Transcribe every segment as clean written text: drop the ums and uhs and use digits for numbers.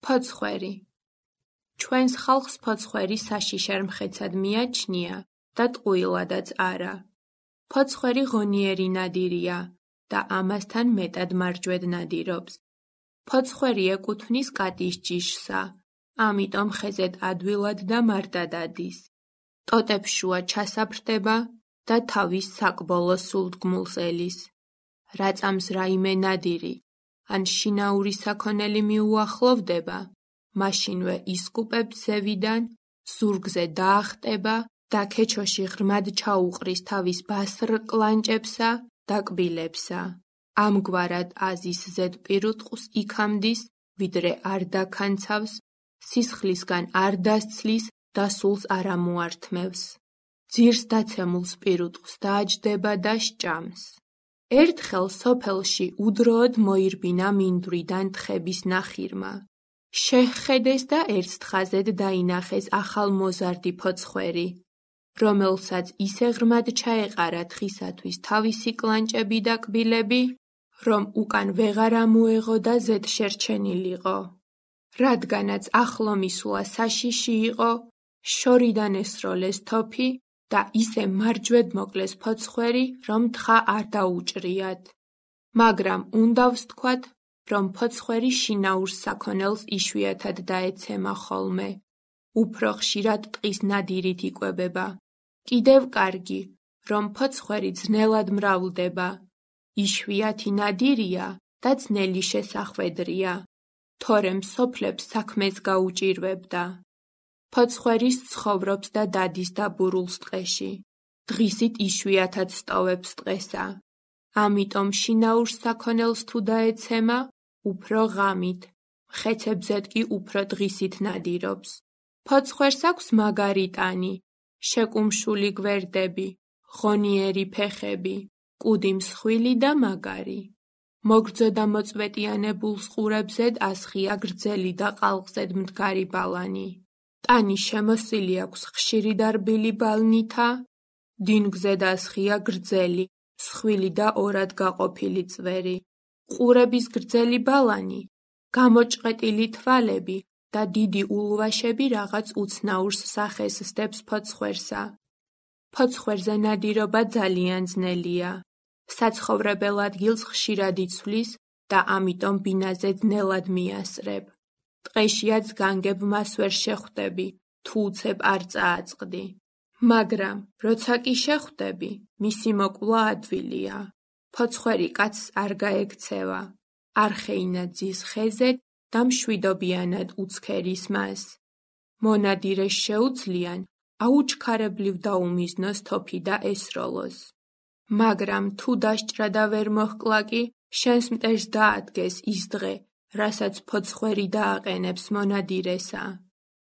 ფოცხვერი. ჩვენს ხალხს ფოცხვერი საშიშარ მხეცად მიაჩნია და ტყუილადაც არა. ფოცხვერი ღონიერი ნადირია და ამასთან მეტად მარჯვედ ნადირობს. ფოცხვერი ეკუთვნის კატის ჯიშსა, ამიტომ ხეზეთ ადვილად და მარტად ადის. ტოტებს შუა ჩასაფრდება და თავის საკბოლო სულთგმულს ელის. რაწამს რაიმე ნადირი ან შინაური საქონელი მიუახლოვდება, მაშინვე ისკუპებს ზევიდან, ზურგზე დაახტება და ქეჩოში ღრმად ჩაუყრის თავის ბასრ კლანჭებსა და კბილებსა. ამგვარად აზის ზედპირუტყუს იქამდის, ვიდრე არ დაქანცავს, სისხლისგან არ დასცლის და სულს არ ამოართმევს. ძირს დაცემულ სპირუტყს დააჯდება და სჭამს. ერთხელ სოფელში უდროოდ მოირბინა მინდვრიდან თხების ნახირმა. შეჰხედეს და ერთ თხაზედ დაინახეს ახალმოზარდი ფოცხვერი, რომელსაც ისე ღრმად ჩაეყარა თხისათვის თავისი კლანჭები და კბილები, რომ უკან ვეღარ ამოეღო და ზედ შერჩენილიყო. რადგანაც ახლო მისვლა საშიში იყო, შორიდან ესროლეს თოფი და ისე მარჯვედ მოკლეს ფოცხვერი, რომ თხა არ დაუჭრიათ. მაგრამ უნდა ვსთქვათ, რომ ფოცხვერი შინაურ საქონელს იშვიათად დაეცემა ხოლმე. უფრო ხშირად ტყის ნადირით იკვებება. კიდევ კარგი, რომ ფოცხვერი ძნელად მრავლდება. იშვიათი ნადირია და ძნელი შესახვედრია, თორემ სოფლებს საქმეს გაუჭირვებდა. ფოცხვერის ცხოვრობს და დადის დაბურულს ტყეში. დღისით იშვიათად სტოვებს ტყესა. ამიტომ შინაურ საქონელს თუ დაეცემა, უფრო ღამით, მხეცებზედ კი უფრო დღისით ნადირობს. ფოცხვერს აქვს მაგარი ტანი, შეკუმშული გვერდები, ღონიერი ფეხები, კუდი მსხვილი და მაგარი. მოგრძო და მოწვეტიანებულ ყურებზედ ასხია გრძელი და ყალყზედ მდგარი ბალანი. ტანი შემოსილი აქვს ხშირი და რბილი ბალნითა, დინგზედ ასხია გრძელი, მსხვილი და ორად გაყოფილი წვერი. ყურების გრძელი ბალანი, გამოჭყეტილი თვალები და დიდი ულვაშები რაღაც უცნაურს სახეს სდებს ფოცხვერსა. ფოცხვერზე ნადირობა ძალიან ძნელია. საცხოვრებელ ადგილს ხშირად იცვლის და ამიტომ ბინაზე ძნელად მიასრებ. ტყეშიაც განგებ მას ვერ შეხვდები, თუ უცებ არ წააწყდი. მაგრამ, როცა კი შეხვდები, მისი მოკვლა ადვილია. ფოცხვერი კაცს არ გაექცევა, არ ხეინა ძის ხეზეთ და მშვიდობიანად უცქერის მას. მონადირეს შეუძლიან აუჩქარებლივ დაუმიზნოს თოფი და ესროლოს. მაგრამ თუ დასჭრა და ვერ მოჰკლა კი, შენს მტერს დაადგეს ის დღე, რასაც ფოცხვერი დააყენებს მონადირესა.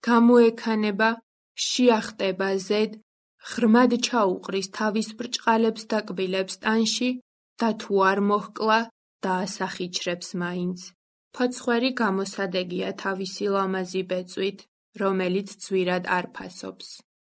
გამოექანება, შეახტება ზედ, ღრმად ჩაუყრის თავის ბრჭყალებს და კბილებს ტანში და თუ არ მოჰკლა, დაასახიჩრებს მაინც. ფოცხვერი გამოსადეგია თავისი ლამაზი ბეწვით, რომელიც ძვირად არ ფასობს.